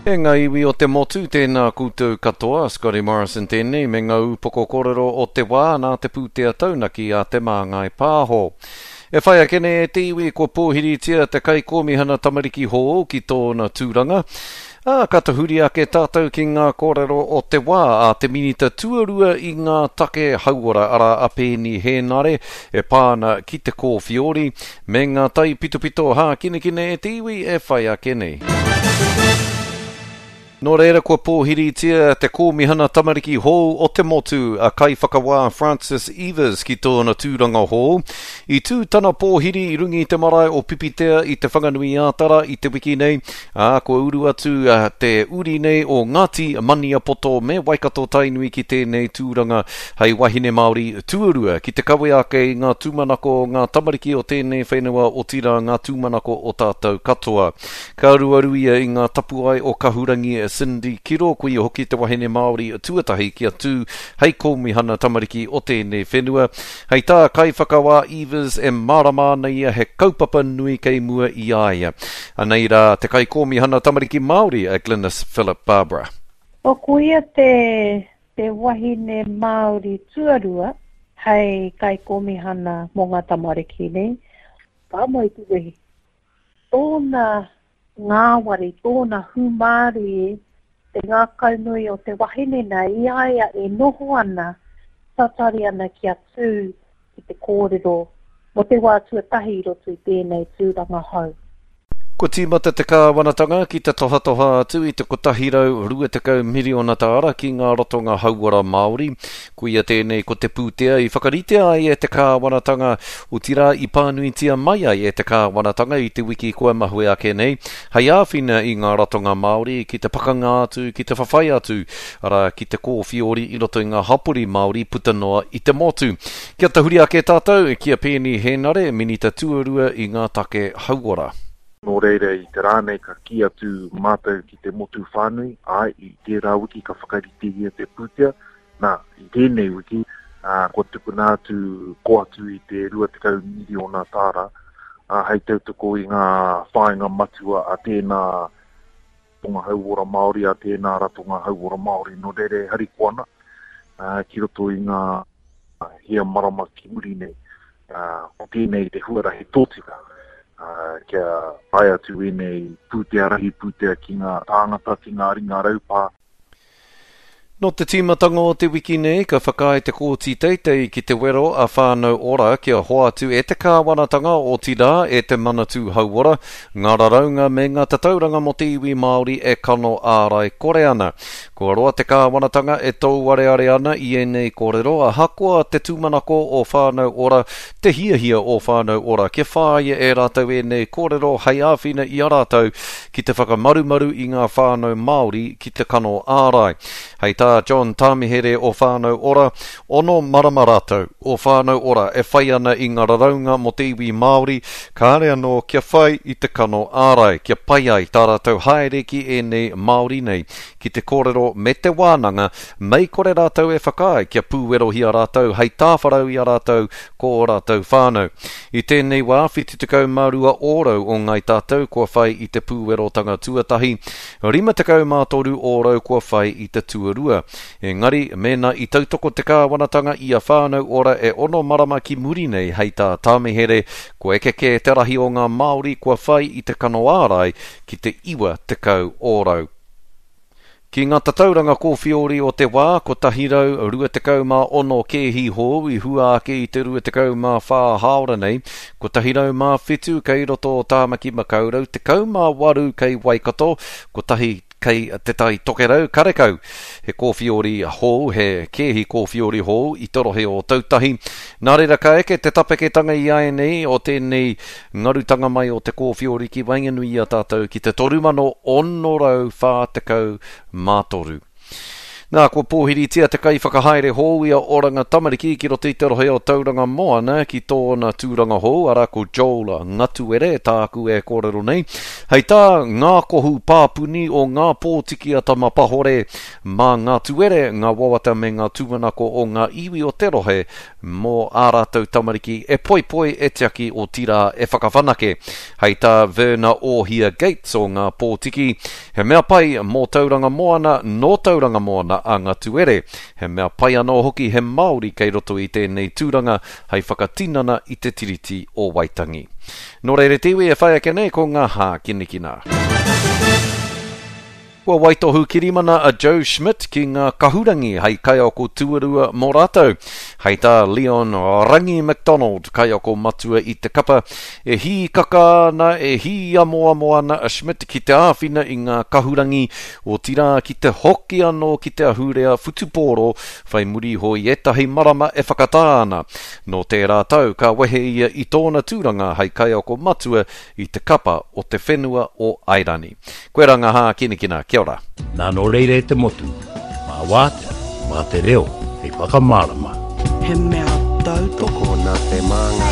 E ngā iwi o te motu, tēnā koutou katoa, Scotty Morrison tēnei me ngā ūpoko kōrero o te wā nā te pūtea taunaki a Te Māngai Pāho. E whai ake nei e te iwi kua pōhiritia te Kaikōmihana Tamariki hou ki tōna tūranga, ā, ka tahuri ake tātou ki ngā kōrero o te wā a te Minita Tuarua i ngā take hauora arā a Peeni Hēnare e pā ana ki te kōwhiori, Me ngā taipitopito hākinakina e te iwi e whai ake nei. Nō reira kua pōhiritia te Kōmihana Tamariki hou o te motu, a Kaiwhakawā Francis Eivers ki tōna tūranga hou. I tū tana pōhiri i runga i te marae o Pipitea i Te Whanganui-ā-Tara i te wiki nei, ā, kua uru atu te uri nei o Ngāti Maniapoto me Waikato-Tainui ki tēnei tūranga Hei wahine Māori tuarua ki te kawe ake i ngā tūmanako o ngā tamariki o tēnei whenua otirā ngā tūmanako o tātou katoa. Ka aruaru ia i ngā tapuae o Kahurangi Cindy Kiro, ko ia hoki te wahine Māori tuatahi kia tū hei kōmihana tamariki o tēnei whenua. Hei tā Kaiwhakawā Eivers e mārama ana ia he kaupapa nui kei mua i a ia. Anei rā te Kaikōmihana Tamariki Māori a Glenis Philip Barbara. O ko ia te Te wahine Māori tuarua hei kaikōmihana mō ngā tamariki nei, ka moe te wehi. Tōna ngāwari, tōna hūmārie, te ngākaunui o te wahine nei i a ia e noho ana, tatari ana kia tū ki te kōrero mō te wā tuatahi i roto i tēnei tūranga hou. Kua tīmata te kāwanatanga ki te tohatoha atu i te 120 miriona tāra ki ngā ratonga hauora Māori. Koia tēnei ko te pūtea i whakaritea ai e te kāwanatanga, otirā i pānuitia mai ai e te kāwanatanga i te wiki kua mahue ake nei, hei āwhina i ngā ratonga Māori ki te pakanga atu, ki te whawhai atu, arā, ki te kōwhiori i roto i ngā hapori Māori puta noa i te motu. Kia tahuri ake tātou ki a Peeni Hēnare, Minita Tuarua i ngā take hauora. Nō reira i te rā nei ka kī atu mātou ki te motu whānui, āe, i tērā wiki ka whakaritehia te pūtea, nā, i tēnei wiki, ā, kua tukuna atu, ko atu i te 20 miriona tāra, ā, hei tautoko i ngā whāinga matua a tēnā ratonga hauora Māori, a tēnā ratonga hauora Māori. Nō reira e harikoa ana, ā, ki roto i ngā hia marama ki muri nei, ā, ko tēnei te huarahi tōtika, ā, kia tae atu ēnei pūtea rahi pūtea ki ngā tāngata, ki ngā ringa raupā. Nō te tīmatanga o te wiki nei, ka whakaae te Kōti Teitei ki te wero a Whānau Ora kia hoatu e te kāwanatanga, otirā e te Manatū Hauora, ngā raraunga me ngā tatauranga mō te iwi Māori e kano ārai kore ana. Kua roa te kāwanatanga e touareare ana i ēnei kōrero, ahakoa te tūmanako o Whānau Ora, te hiahia o Whānau Ora kia whāia e rātou ēnei kōrero hei āwhina i a rātou ki te whakamarumaru i ngā whānau Māori ki te kano ārai. Hei tā John Tāmihere o Whānau Ora, ono marama rātou o Whānau Ora e whai ana i ngā raraunga mō te iwi Māori, kāre anō kia whai i te kano ārai, kia pai ai tā rātou haere ki ēnei Māori nei ki te kōrero me te wānanga, mei kore rātou e whakaae kia pūwerohia rātou hei tāwharau i a rātou ko ō rātou whānau. I tēnei wā, 72 ōrau o Ngāi Tātou kua whai i te pūwerotanga tuatahi, 53 ōrau kua whai i te tuarua. Engari, mēnā i tautoko te kāwanatanga i a Whānau Ora e ono marama ki muri nei hei tā Tāmihere, kua eke kē te rahi o ngā Māori kua whai i te kano ārai ki te 90 ōrau. Ki ngā tatauranga kōwhiori o te wā, 126 kēhi hou i hua ake i te 24 hāora nei, 107 kei roto o Tāmaki Makaurau, 18 kei Waikato, kotahi kei Te Tai Tokerau, karekau he kōwhiori hou, he kēhi kōwhiori hou i te rohe o Ōtautahi. Nā reira ka eke te tapeketanga i āianei o tēnei Ngarutanga mai o te kōwhiori ki waenganui i a tātou ki te 3643. Nā, kua pōhiritia te kaiwhakahaere hou i a Oranga Tamariki ki roto i te rohe o Tauranga Moana ki tōna tūranga hou, arā ko Joel Ngatuere tāku e kōrero nei. Hei tā Ngā Kohu Pāpuni o Ngā Pōtiki a Tamapahore, mā ngā tuere, ngā wawata me ngā tūmanako o ngā iwi o te rohe mō ā rātou tamariki e poipoi, e tiaki, otirā e whakawhanake. Hei tā Verna Ohia Gates o Ngā Pōtiki, He mea pai mō Tauranga Moana, nō Tauranga Moana a Ngatuere. He mea pai anō hoki he Māori kei roto i tēnei tūranga hei whakatinana i te Tiriti o Waitangi. Nō reira te iwi e whai ake nei ko ngā hākinakina. Kua waitohu kirimana a Joe Schmidt ki ngā kahurangi hei kaiako tuarua mō rātou. Hei tā Leon Rangi McDonald, kaiako matua i te kapa, e hīkaka ana, e hīamoamo ana a Schmidt ki te āwhina i ngā kahurangi, otirā ki te hoki anō ki te ahurea whutupōro whai muri iho i ētahi marama e whakatā ana. Nō tērā tau ka wehe ia i tōna tūranga hei kaiako matua i te kapa o te whenua o Airani. Koirā ngā hākinakina, kia ora. Nā nō reira e te motu, mā wātea, mā te reo hei whakamārama. He mea tautoko. Tokona te māngai.